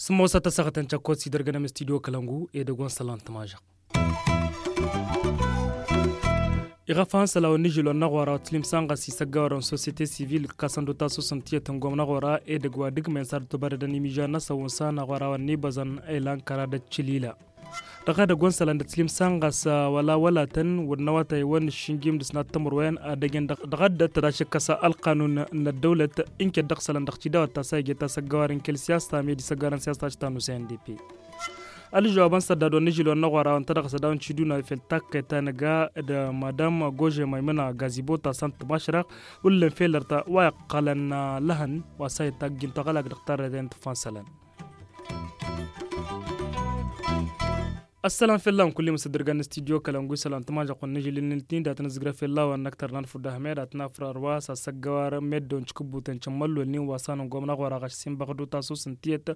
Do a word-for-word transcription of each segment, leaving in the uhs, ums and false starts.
Sǝmmosăt ăssaɣăt n-căkkot s-idărgănăm studio kălăngu edăgg wa n-sălan tămažăɣ. Iɣăfan sălawăn n-ižilon n-aɣora wa tǝslimsan ɣas isăggawărăn societe sivil ǝkkasăn d-otasus n-tiyyăt n-gom n-aɣora edăgg wa dăgg-men s-ad-tobărădăn imižan-năsăn wǝnsan aɣora wa n-ibăẓăn ilan kăra d-ăččălila. Dăɣ-edăgg wa n-sălan d-tǝslimsan ɣas wăla wăla-tăn wăr n-awătay wa n-iššǝnjim d-ǝsnat timǝrwen ad-ăjăn dăɣ-ăddăt tădašǝkkăs ălqanun n-ăddăwlăt. Ǝnket dăɣ-isălan dăɣ-tidawăt ta s-a ije tasăggawar n-kăl-siyasa med isăggawar n-siyasa ta s-ta n-usay n-d p. Ălžăwab n-săddad wa n-ižil wa n-aɣora wa n-tadăɣ s-ad-dawăn ciduna fel takkăy ta nǝga d-madam gože maymăna gazibo ta s-ant tămašrăɣ. Wǝllǝn fel ărta wa iqqălăn lăhăn wa s-a itagg ǝnta ɣălak dăɣ-tarrăyt ta n-tǝffan sălăn. Ăssălam fell-awăn kulli măsăddărgan n-studio kălăngu isălan tămažăɣ-wăn n-ižǝlǝl n-iltin dat-năzgrăf fell-awăn n-ăkk tărnan fudda hămed ad-t-nafrăr wa s-ad-săggăwar meddǝw n-cikǝbbutăn cămmăllolnin wa s-anăngom n-aɣora ɣaš s-inbăɣ d-otasus n-tiyyăt.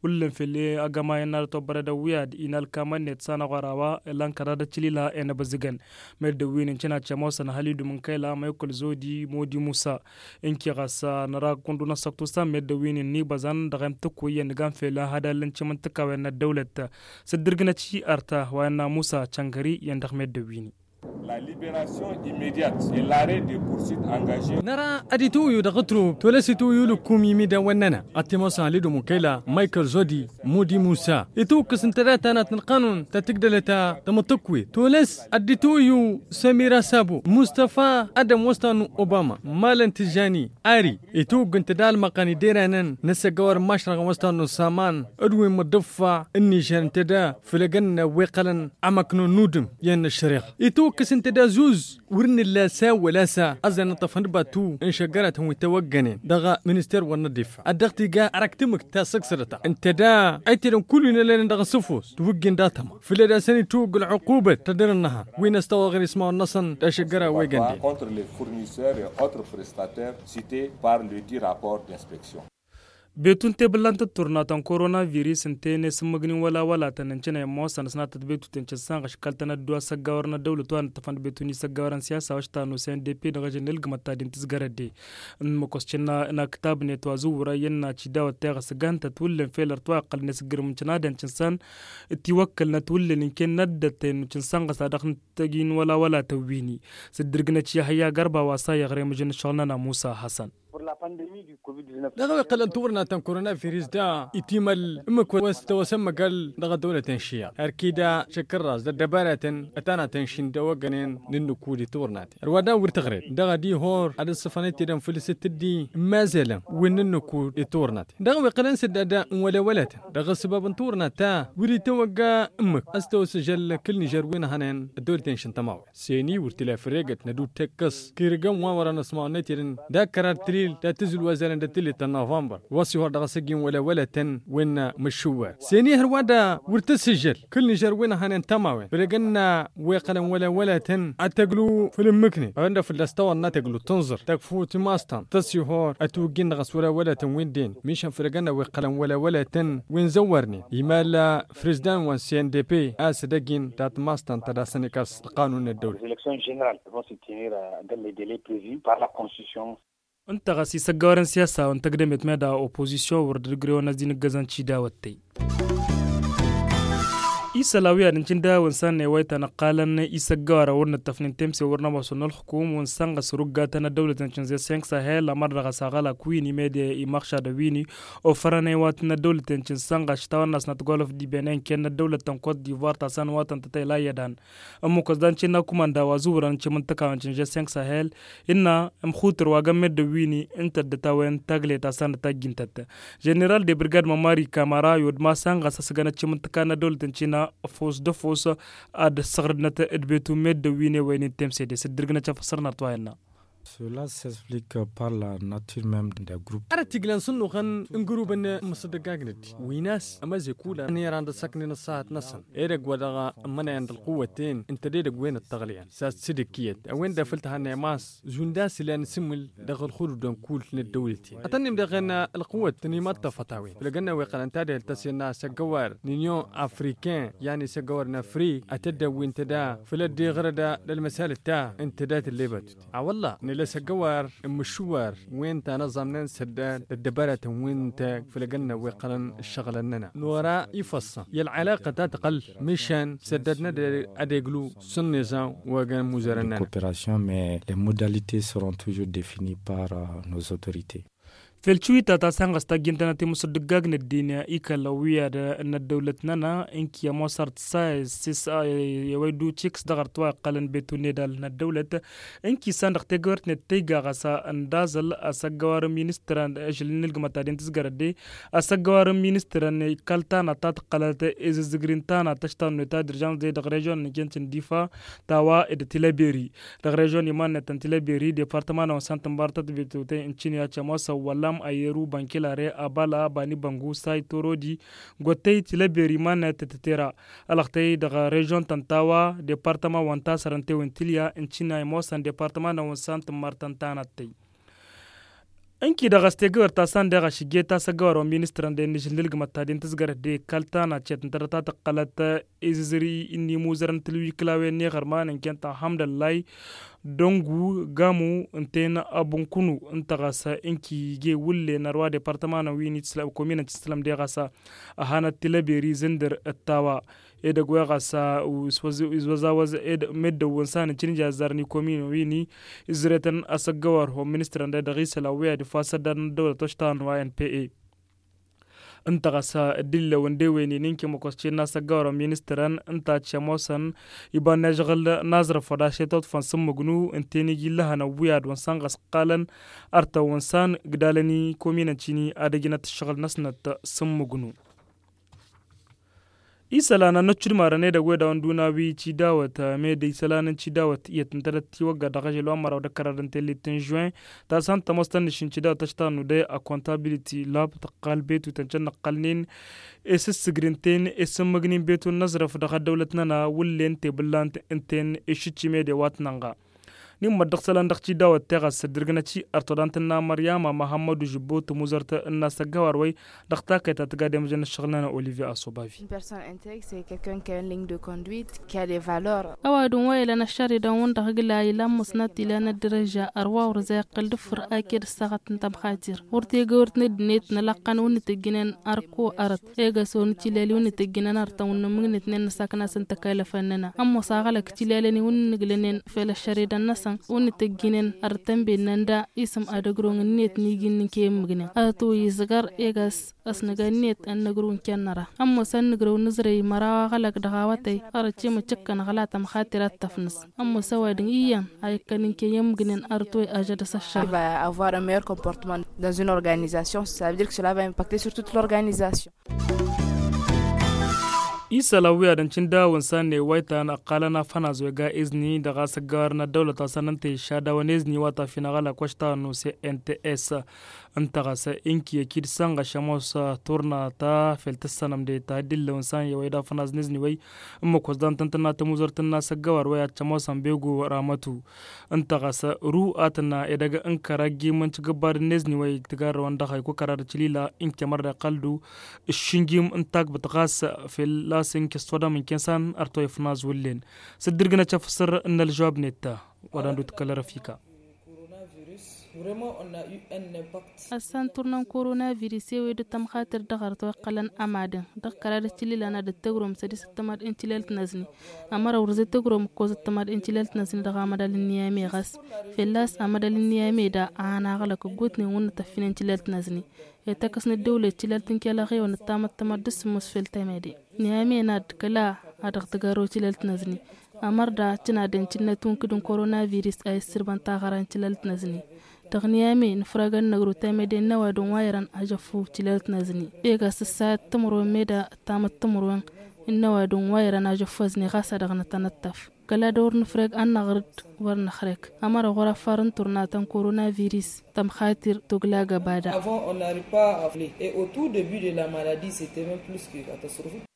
Wǝllǝn fell-e agămay n-ad-ătobbărădăn wi ad-inalkamăn-net s-anăɣora wa ila n-kăra d-ăččălila i-inăbăzǝgăn. Meddǝw wi n-incǝna cămosăn halidu mǝnkăyla maykul zodi modi musa. Ǝnki ɣas năra kundun ăssăktu s-a meddǝw wi n-inibăẓăn dăɣ-emtǝkku iyyăn nǝgan fel hadal n-cimǝntǝkawen n-ăddăwlăt. Sǝddǝrgǝnăt i-arta wa innă musa căngări iyyăn dăɣ-meddǝw wi n-i. La liberation immédiate et l'arrêt des poursuites engagées. Năra ad-itwǝyyu dăɣ-ǝtrub tolăs itwǝyyu lǝkkum imidawăn-nănăɣ ad-t-imosăn halidu mǝnkăyla maykăl zodi modi musa itwǝkkǝs ǝnta dat-tanat n-ălqanun ta tǝgdălăt ta tamǝṭṭǝkwi tolăs ad-dd-itwǝyyu samira sabo mustafa adăm wa s-tannu obama malăn tǝžžani. Ari itwǝgg ǝnta da ălmăqqăn iderănăn n-asăggăwăr n-imašrăɣăn wa s-tannu saman d-wi n-imǝḍḍǝffa n-nižer ǝnta da fǝlăgăn n-wi iqqălăn amăknun n-udǝm i-ănnăššăriɣ itwǝkkǝs ǝnta da zuz. Wăr nǝlla sa wăla sa ăzzăn ǝṭṭăfăn d-batu n-išăggăratăn wi tawăggănen dăɣ-minister wa n-ăḍḍifa ad-dăɣ-t iga arăk tǝmmǝkt ta săksădăt-ta ǝnta da ăytedăn kullu-i n-ălănen dăɣ-asǝfos tiwǝggi n-datăma făll-e-d a-s ănitwǝgg ălɣuqubăt tădăr-ǝnnăhăn wi n-ăstăwăɣ ɣer ismawăn-năsăn d-ašăggăra wa igan-den. Contre les fournisseurs et autres prestataires cités par ledit rapport d'inspection. Betu n-tebǝllant d-turna ta n-korona virus ǝnta-en i-sǝmmǝgnin wăla wăla-tăn ǝncǝnăyăn ămoosăn ăsnatăt betu-ten cǝssan ɣăškăl-tăn ăddu asăggawăr n-ăddăwlăt wa n-ǝṭṭăfăn d-betu n-isăggawăr n-siyasa wa s-ta n-osăn d p dăɣ-ežăn ilgǝmăt ta d-intǝzgărăt de. N-măkos cǝnna n-aktab-net wa zǝwwǝra iyyăn n-acidawăt ta iɣăs ǝgantăt wǝllǝn fel ărtwa iqqălăn i-sǝggǝrǝm n-cǝnadăn cǝnsan. Tiwăkkălnăt wǝllǝn ǝnken n-ăddăt tăyăn n-cǝnsan ɣas ad-dăɣ-tăjin wăla wăla tăwwini. Sǝddǝrgǝnăt i-hăyya gărba wa s-a iɣrem ǝžǝn ǝššăɣǝl-nănăɣ musa hasăn. Dăɣ-a-wa iqqălăn turna ta n-korona virus da itimăl ǝmmǝk wa s-tăwăsămmăgăl dăɣ-ăddăwlăt n-išiyyăḍ har kida šăkkărras d-ăddăbaratăn ătanatăn šindăwăggănen n-ǝnnǝkud i-turna-ten ărwa da wăr tăɣred dăɣ-ad-ihor ad-ăssăfăn itedăn făll-s t-dd-i n-imazălăn wi n-ǝnnǝkud i-turna-ten dăɣ-a-wa iqqălăn s-dd-ad-da n-wălewălătăn dăɣ-ăssăbab n-turna ta wăr-itawăgga ǝmmǝk a-s tăwăsăžăl kăl-nižer wi n-ehănen ăddăwlăten šintămawen. Seni wăr t-ila făll-eggăt n-ad-utekkăs kirǝgăn wa wărăn ăsmawăn n-etedăn d-akkăra d-tilil d-ad-tǝzzǝl wa zalăn d-ăttillit ta n-novămbăr wa s-ihor dăɣ-asăjjin wălewălătăn wi n-măššuwar seni hărwa da wăr tăssǝžžăl kăl-nižer wi n-ehănen tămawen făll-egănna wi iqqălăn wălewălătăn ad-tăglu făll-ǝmmǝknen a-wen-dăɣ fălla-s tawănna tăglu tǝnẓăr tăkfut imass tăn tăsihor ătwǝjjin dăɣ-s wălewălătăn wi n-dd-en mišan făll-egănna wi iqqălăn wălewălătăn wi n-zăwwărnen imal frǝzdan wa n-cndp a-s ădăgg-in dat-mass tăn tădasăn ikas ălqanun n-ăddăwlăt. Election general va s-tinir dăɣ-le dele prevu par la constitution. Ǝnta ɣas isăggawărăn siyasa wa n-tăgdămet meda opozisyon wăr dd-ǝgrewăn ăzzi n-ǝggăzăn cidawăttăy. Isălan wi ad-ǝncǝn dăɣ-a-wen sannăy wa itănăqqalăn isăggawărăn wăr nǝttăfnen temse wăr nămoosăn n-ălxukum wa n-sănɣăs ruggatăn ăddăwlăt n-cǝnze senk sahel ămăr dăɣ-asăɣălak wi n-imedya i-imăɣšadăn wi n-i ofărăn iwatăn n-ăddăwlăt n-cǝn sănɣăs tawănna s-nătgolăf d-ibenăy n-kăyăn n-ăddăwlăt tăn-kot divoir ta săn wa tăn-tătăyla iyyădan. Ǝmmǝk wa s-dan cǝnna kumanda wa zǝwrăn n-cǝmǝntǝka wa n-cǝnže senk sahel innă ǝmxutǝr wa găn meddǝn wi n-i ǝnta dd-ătawen tagle ta săn dd-tajjǝntăt. Ženeral de brigad mămari kamara i-odmasăn ɣas a-s găn ăccǝmǝntǝka n-ăddăwlăt n-cǝnna fos d-fos ad-ăssăɣrǝdnăt d-betu meddǝn wi n-ewăynen temsede s-dd-ǝrgǝnăt căfăsărnăt wa innă. Cela s'explique par la nature même des groupes. Ărăt iglăn s-ǝnnuɣăn n-gurubăn n-imǝsǝddăggag n-ăddin wi n-a-s ămăzek ulan n-iran d-ăssăknen ăṣṣahat-năsăn. Edăgg wa dăɣ-ămmănăyăn d-ălquwăt-en ǝnta d-edăgg wen ăṭṭăɣlăyăn s-ad-sǝdǝkkǝyăt a-wen-dd-afǝl tǝhannăyăm a-s zund a-s ilan s-imǝl dăɣ-ălxudud d-ănkull n-ăddăwlăt-in ătănnim dăɣ-en. Ălquwăt tăn-imaṭṭăfăt a-wen făll-egănna wi ăqqălăn tadehelt ta s-innă asăggăwar n-union africain, i-ad-nisăggăwar n-afrik ad-t-dd-ăwwin tăda făll-ăddiɣrăd d-ălmăsalăt ta ǝnta dat-ǝllebătut. A-wălla nǝla asăggăwar n-imǝššǝwar wen ta n-ăẓẓamnen săddad d-ăddăbaratăn wi n-tag făll-egănna wi ăqqălăn ǝššăɣǝlăn-nănăɣ nora ifăṣṣăn i-ălɣălăɣ ta tăqqăl mišan săddad n-ad-eglu s-ǝnniẓa wa găn imuzărăn-nănăɣ. Coopération mais les modalités seront toujours définies par nos autorités. Fel tiwita ta s-anɣăs tajjintănăt i-musǝddǝggag n-ăddin ikăl ăwwiyad n-ăddăwlăt-nănăɣ ǝnki ămoos artǝssa s-s i-wa iddu tiks dăɣ-artǝwa iqqălăn betu n-edal n-ăddăwlăt. Ǝnki s-an dăɣ-tegăwert-net tăyga ɣas ăndaẓăl asăggăwar n-ministărăn ažăl n-ilgǝmăt ta d-intǝzgărăt de asăggăwar n-ministărăn ikal tanat ta tǝqqălăt izǝzzǝgri n-tanat tăštannut ta d-irjant de dăɣ-režon n-kent n-difa ta wa d-tilăberi. Dăɣ-režon iman-net n-tilăberi departăma n-awănsan tǝmbartăt betute n-cini a cămoosăn wăllam ayeru bănkilare abala bani băngu say torodi. Gottăy tilăberi iman-net tǝtera ălăɣtăy dăɣ-režon tăn-tawa departăma wăn-tasărăn tewǝn tilya n-cini a imoosăn departăma n-awănsan tǝmmărtăn tanattăy. Ǝnki dăɣ-s tegăwăr ta s-ăndeɣ ašǝjje ta s-ăggăwar wa n-ministărăn de n-ažǝl n-ilgǝmăt ta d-intǝzgărăt de ikal tana cet ǝntădăt ta tǝqqălăt izǝzri n-imuzărăn tǝlwikǝlawen n-iɣărman n-kent ălhamdăllay. Dăngu gamu ǝnta-en abǝnkunu ǝnta ɣas ǝnki ije wǝllen ărwa departămanăn wi n-itǝslăm kominăn tǝslăm de ɣas ăhanăt tilăberi zǝndăr ăttawa. Edăgg wa ɣas izwăzawăz meddǝn wǝnsan n-cǝnǝja ăzzarăn ikominăn wi n-izretăn asăggăwar wa n-ministărăn de dăɣ-isălan wi ad-ifas ăddar n-ăddăwlăt oštăɣăn wa n-pe. Ǝnta ɣas dd-illăwăn d-ewen-in n-kemăkos cen n-asăggăwar wa n-ministărăn ǝnta ad-cămosăn iba n-ažăɣǝl n-aẓrăf wa dašet oḍfăn s-ǝmmǝgnu ǝnta-en iji ǝllăhăn ăwwiyad wa n-săn ɣas ǝqqalăn artăn wa n-săn gdalăn ikominăn cini ad-ăjnăt ǝššăɣǝl-năsnăt s-ǝmmǝgnu. Isălan a n-ăccudmarăn edăgg wed a-wa n-dun-awi cidawăt med isălan n-cidawăt iyyăt ǝntădăt tiwăgga dăɣ-ažăl wa n-măraw d-ăkărad n-tellit n-žuin. Tasăn tămoos tăn-nǝššǝn cidawăt tăštanu de a kontabiliti lab tăqqal betu tăn-cănnăqqălnen. Esǝssǝgrin-ten esǝmmǝgnin betu n-aẓrăf dăɣ-ăddăwlăt-nănăɣ wǝllen tebǝllant ǝnta-en išǝcci mede wa t-nănɣa. Nimmăt dăɣ-isălan dăɣ-tidawăt teɣăs ăddărgănăt-i ărtăḍant n-amăr yama măhămmădu žǝbbo tǝmuzărt n-asăggăwar wa-i dăɣ-takăyt ta tǝgga demăžăn n-ǝššăɣǝl-nănăɣ olivier asobavi. Ăwadǝm wa ilăn ăššăridan-wǝn dăɣ-igla ilan măsnăt ilan ăddărăža ărwa wăr-za iqqǝl d-ǝffǝr aked ăssaɣăt n-tămxatir wăr tegăwărt n-ăddinăt n-ălaqqa n-wǝnnǝt ǝjjǝnen ărko ărăt. Egăs wăr nǝtilel wǝnnǝt ǝjjǝnen ărtăn wǝnnǝmmǝgnǝtnen nǝsaknas n-tăkăylăfăn-nănăɣ ămoos aɣălăk tilelăn i-wǝnnǝglănen fel ăššăridan-năsăn wǝnnǝt ǝjjǝnen ărtăn bennăn da isǝm ad-ăgrong ǝnniyăt n-iji n-inkăy ǝmmǝgnen ărăt wa izăgăr. Egăs ăsnăga ǝnniyăt ad-nǝgrǝw n-kănnăra ămoos ad-nǝgrǝw nǝzrăy măraw aɣălăk dăɣ-awătay. Ărăt i-măccăkkăn ɣǝla tămxatir ad-tăfnǝs ămoos ăwadǝm iyyăn a ikkăn inkăy ǝmmǝgnen ărăt wa i-ažădăs ăššăɣǝl. Avoir un meilleur comportement dans une organisation, ça veut dire que cela va impacter sur toute l'organisation. Isălan wi ad-ăncǝn dawăn s-anne wa ităn ăqqalăn afănaz wa iga izni dăɣ-asăggawar n-ăddăwlăt a-s ănn ǝnta išadawăn izni wa tafinăɣ ălakwaš ta n-u cnts. Ǝnta ɣas inki ăkid sănɣăš ămoos turna ta fel tǝssănăm de ta dd-illăwăn s-anne wa idafăn aznǝzni wa i-ǝmmǝk wa s-dantăn tǝnna tămuzărt tǝnna s-ăggăwar wa i-ad-tămoosăn begu ramătu. Ǝnta ɣas ru ad-tǝnna edăgg n-kăra ăjjim n-tijǝbbad n-ezni wa i-tǝgarrăwăn dăɣ-ha ikukăra d-ăclila n-kemăr d-iqqăl-du. Ǝššǝnjim n-tagbăt ɣas fel a-s inki ăssodăm n-kensan ărtoyăf n-azwǝllen. S-dd-irgǝnăt afǝsǝr n-ălžăwab netta. Wa dan-dd-tǝkkăl răfika. Ăssan turna n-koronavirus i-wi dd-tămxatir dăɣ-ărăt wa iqqălăn ămadăn dăɣ-kăra d-ăclilăn ad-dd-tăgrom sădis ăttămad n-tilalt n-azni. Ămăra wăr zăy tăgrom ǝkkoẓ ăttămad n-tilalt n-azni dăɣ-amădal n-niyame ɣas fel a-s amădal n-niyame da a ănaɣlăk ǝggutnen wǝnnăt ăffinen tilalt n-azni. Ităkkăs n-ăddăwlăt tilalt n-kelăɣ i-wăn ǝttamăt ăttămad d-sǝmmos fel temede. Niyame n-ad-kăla a dăɣ-tǝgarăw tilalt n-azni. Ămăr da tǝnadăn tǝnnăt unkǝd n-koronavirus a issǝrbăn taɣăra n-tilalt n-azni. Dăɣ-niyame nǝfragăn năgru temede n-ăwadǝm wa irăn ajăffu tilalt n-azni. Ega s-ǝssayăt timǝrwen meda ǝttamăt timǝrwen. Ǝnnăwadǝn wa irăn ajăffăzne ɣas ad-dăɣ-nătănăttăf kăla d-wăr nǝfreg ad-năɣrǝd wăr năxrek. Ămăra ɣur-affar n-turna ta n-koronavirus tămxatir toglag ăbada. Avant on n'arrive pas à affler et au tout debut de la maladie c'était même plus que catastrophique.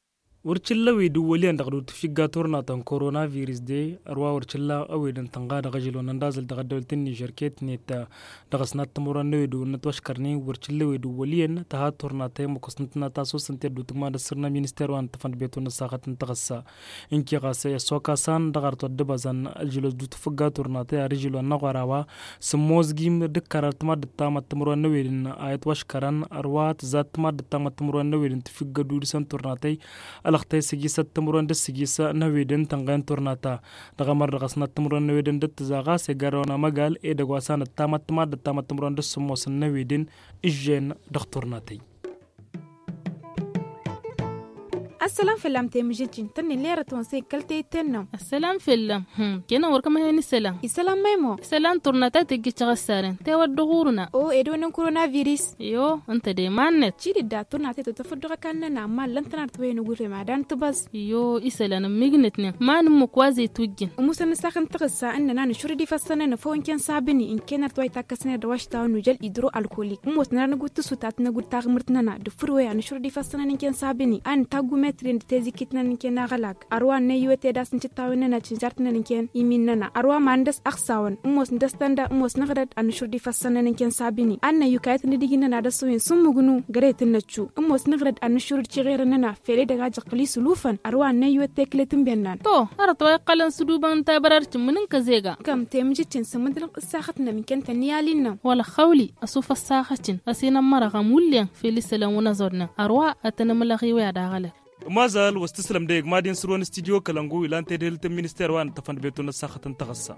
Wăr cǝlla ăwed ǝwwăl iyyăn dăɣ-dd-tǝfigga turna ta n-koronavirus de ărwa wăr cǝlla ăwedăn tănɣa dăɣ-ažăl wa n-ăndazăl dăɣ-ăddăwlăt n-nižer ket-net. Dăɣ-s n-ad-timǝrwa n-ewed wa n-ătwăškărnen wăr cǝlla ewed ǝwwăl iyyăn tăha turna ta i-măkosnăt n-ad-tasosăn ti ădduutǝgma d-ăssărna minister wa n-tăfăndbet wa n-ăssaɣăt n-taɣǝssa. Ǝnke ɣas i-ăssokasăn dăɣ-arăt wa dd-ăbăzăn ažăl wa s-dd-tǝfǝgga turna ta i-ar ažăl wa n-aɣora wa sǝmmozgim d-ǝkkărăr timaddǝt tamăttămăr wa n-ewedăn a itwăškărăn ărwa tǝzzat timaddǝt tamăttămăr wa n-ewedăn tǝfǝggăd udǝsăn turna ta i-ălăxtay s-ăgis ăttămăr wa n-dăr-s ăgis n-ewedăn tănɣen turna ta. Dăɣ-emăr dăɣ-s n-ad-timǝrwen n-eweden d-ǝttǝza ɣas egarrăwăn amăgal edăgg wa s-anăttamăt timaddǝt tamăt timǝrwen d-ǝssǝmmos n-eweden. Ǝžžen dăɣ-turnatăy. Ăssălam fălla-m temǝžǝjjin tănnin lerăt-wăn s-e kăl-teyǝtten-năw. Ăssălam fălla-m. Kăyăn-wăr kămăhen isălan. Isălan măymo. Isălan turnatăy tǝjjǝt căɣăssaren tewăr dăɣ-urǝna. O ed onen koronavirus. Iyo ǝnta de iman-net. Cidǝdda turnatăy totăfăddoɣ ăkall-nănăɣ ma ǝllăn-tăn arăt wa hin-ăgurrem ad-dantǝbăẓ. Iyo isălan ǝmmǝgnătnen ma n-ǝmmǝk wa zey tujjǝn. Ămuusăn n-ǝssaɣ n-taɣǝssa ǝnnăn a nǝšurǝd ifăssăn-nănăɣ făw ǝnken sabǝni ǝnken arăt wa itakkăsnen d-awašta wa n-ujăl idro-alkolik ǝmmoosnen ad-nǝgud tǝsut ad-t-năgud taɣmǝrt-nănăɣ d-fǝrwey a nǝšurǝd ifăssăn-nănăɣ ǝnken sabǝni a nǝtaggu metrin d-tezikit-nănăɣ ǝnken aɣălag. Ărwa n-năyyu ete d-asǝnčǝt tawen-nănăɣ cǝnžart-nănăɣ ǝnken imin-nănăɣ ărwa ma n-dăɣ-s ăxsawăn ǝmmoosnăt dăɣ-s tanda ǝmmoosnăɣ-dăd ad-nǝšurǝd ifăssăn-nănăɣ ǝnken sabǝni ad-năyyu kayăt n-dd-ijǝnnăn ad-ăssăwin s-ǝmmǝgnu găre tǝnnăčču ǝmmoosnăɣ-dăd ad-nǝšurǝd ciɣerăn-nănăɣ fel edăgg ajăqqǝl isǝlufăn. Ărwa n-năyyu ătteklet n-bennan. To arăt wa iqqălăn s-ǝdubăn n-tabărar cǝmmǝn n-kăzega. Kăm temǝžǝččin s-ǝmmǝdǝlăn ǝssaxăt-nănăɣ ǝnken tănniyalin-nănăɣ. Wăla xawli ăsuf ăssaxăčin ăsinămmărăɣăm wullen fel isălan wăn-ăẓodnen ărwa ad-tăn-ǝmlăɣ i-wăy ad-aɣălăg. Ămazal wa s-tǝslăm dăɣ-egmadin sǝrwăn studyo kălăngu ilan tedhǝlt n-minister wa n-tăfăndbetu n-ăssaxăt n-taɣǝssa.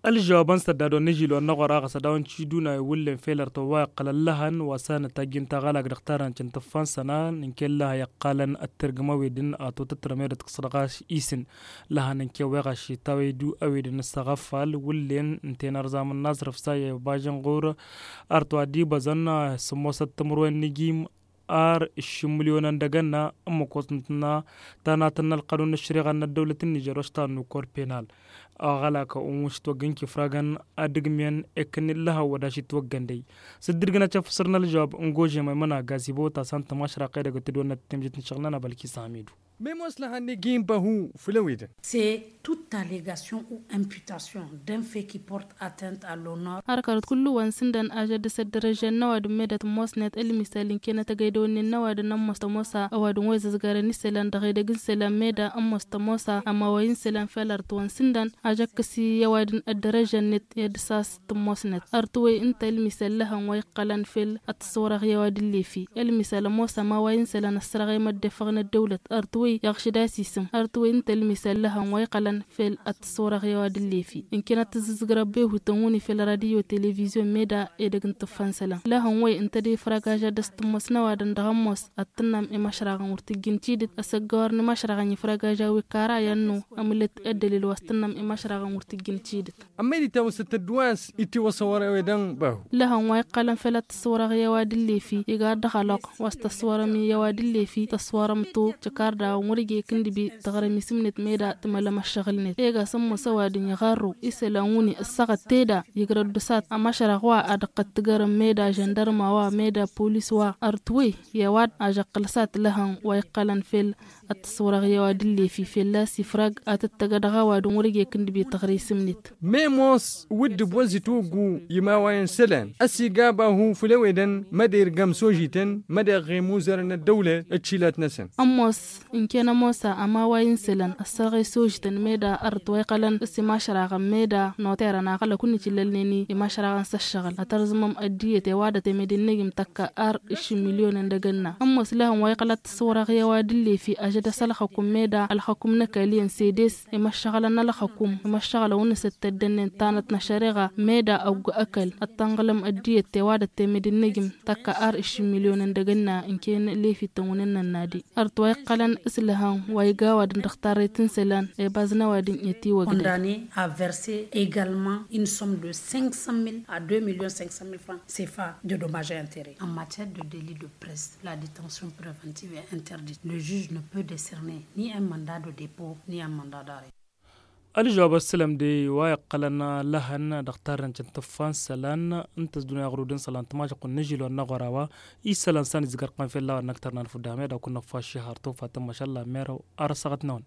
Ălžăwab n-săddad wa n-ažil wa n-aɣora ɣas ad-dawăn ciduna iwǝllen fel ărtăwwa iqqălăn lăhăn wa s-anătajjin taɣălag dăɣ-tarăn cǝntǝffan sănan n-kella iqqalăn ăttărgǝm ăwedǝn a totătrăm i-dăt kăsălɣas isǝn. Lăhăn n-keweɣaš itawăydu ăwedǝn ăssaɣăffal wǝllen n-tenărzam n-aẓrǝf sa i-bažăn ɣur-ărtăwwa d-ibăẓăn sǝmmosăt timǝrwen n-ijim ar ǝššǝm mǝlyonăn dăgg-ănna ǝmmǝk wa s-nǝtna tanatăn n-ălqanun n-ăššăreɣa n-ăddăwlăt n-nižer wa s-tannu kor penal. Aɣălak unwǝš togg n-kifragăn ad-ǝgmǝyăn ekăn illăhăw wa d-ašitwăggăn dăy. S-dd-irgǝn acăf săr n-ălžăwab n-gožem aymăna gazibo ta s-antămašraq edăgg tǝdwănnăt temjăt n-išăɣlăn a bălkis hamidu. Memos lăhăn n-igin băhu făll-ewedăn. C'est toute allégation ou imputation d'un fait qui porte atteinte à l'honneur. Har kărăt kullu wa n-sǝndăn ažăd dăr-s ăddărăžžăn n-ăwadǝm medet n-mosnet ălmisal ǝnkenăt agăydăwănnen n-ăwadǝm n-ămmos tămosa ăwadǝm wa izăzgarăn isălan dăɣ-edăgg n-isălan meda ămmos tămosa ămaway n-isălan fel ărtǝwăn sǝndăn. Ažăkkăs i-ăwadǝm ăddărăžžăn-net i-ad-dăr-s a-s tǝmmosnet ărtǝwăy ǝnta ălmisal lăhăn wa iqqălăn fel ăttăswărăɣ i-ăwadǝm lefi. Ălmisal ămoos ămaway n-isălan ăssărăɣ i-măddefăɣ n-ăddăwlăt ărtǝwăy iɣšǝd-as isǝm ărtǝwăy ǝnta ălmisal lăhăn wa iqqălăn fel ăttăswărăɣ i-ăwadǝm lefi. Ǝnken ad-tǝzzǝzgǝr ăbbehutăn wǝni fel radyo televizyon meda edăgg n-tǝffăn isălan lăhăn wăy ǝnta d-ifrag ažăd dăr-s tǝmmos n-ăwadǝm dăɣ-ămmos ad-tǝnnăm i-măšraɣăn wăr tǝjjǝn cidǝt. Ăsăggăwăr n-imăšraɣăn ifrag aža wi kara i-ănnu ămǝlăt ăddălil wa s-tǝnnăm i-măšraɣăn wăr tǝjjǝn cidǝt. Ămmăyăn itawăsăt ăddǝwas itiwăsăwăr ewedăn bahu. Lăhăn wa iqqălăn fel ăttăswărăɣ i-ăwadǝm lefi igar dăɣ-ăloq wa s-tăswărăm i-ăwadǝm lefi tăswărăm-tu. Căkardawăn wăr-ija ikǝndǝbi tăɣrăm isǝmnet meda tǝmălăm ăššăɣǝl-net ega s-ămmos ăwadǝm iɣarru isălan wǝni ǝssăɣăt teda. Igrăd dăr-s ad-t-ămăšrăɣ wa ad-ăqqăt tǝgărăm meda žăndărma wa meda polis wa ărtwăy i-ăwad ažăqqǝl s-ad-t-lăhăn wa iqqălăn fel ăttăswărăɣ i-ăwadǝm lefi fălla-s ifrag ad-tăttăgădăɣ ăwadǝm wăr-ija ikǝndǝbi tăɣrǝy s-ǝmnet. Memos wǝddǝb wa n-zitwăggu i-imawayăn isălan ăsigab ahu făll-ewedăn măd-irgăm s-ožităn măd-iɣɣe imuzărăn n-ăddăwlăt d-tilat-năsăn. Ămoos ǝnken ămoos a ămaway n-isălan ăssărɣe s-ožităn meda ărăt wa iqqălăn s-imašraɣăn meda noterăn aɣălăk wǝnnǝj illălnen i-imašraɣăn s-ăššăɣǝl ad-tărzǝmăm ăddiyăt i-ăwadăt i-mădinăgǝm tăkk ar ǝššǝm milyonăn dăgg-ănna. Ămoos lăhăn wa iqqăl ad-t-ăswărăɣ i-ăwadǝm lefi ažăd-as ălxăkum meda ălxăkum n-ăkall iyyăn sedes imăššăɣălăn ălxăkum imăššăɣălăn wǝnnǝsăt tăddănnen tanăt n-ašăreɣa meda ăggu ăkall ad-tănɣǝlăm ăddiyăt i-ăwadăt i-mădinăgǝm tăkk ar ǝššǝm milyonăn dăgg-ănna. Ǝnken lefi tănwǝnăn n-ănnadi ărăt wa iqqălăn Tǝlhăn wa iga ăwadǝm dăɣ-tarrăyt n-isălan, ebazna wa dǝn-i ătiwăgdăy. Condamné à verser également une somme de cinq cent mille à deux millions cinq cent mille francs cfa de dommages et intérêts. En matière de délit de presse, la détention préventive est interdite. Le juge ne peut décerner ni un mandat de dépôt ni un mandat d'arrêt. Ălžăwab ăssălăm de wa iqqălăn lăhăn dăɣ-tarrăyt n-tǝffa n-isălan n-tăzduna iɣrud n-isălan tămašăɣt n-ažil wa n-aɣora wa isălan s-ad-nǝzgăr qam fel-laɣ ad-năktăr n-anfudda hame ad-akun năffa aššăhar tofat n-mašalla merăw. Arăsăɣăt-năwăn.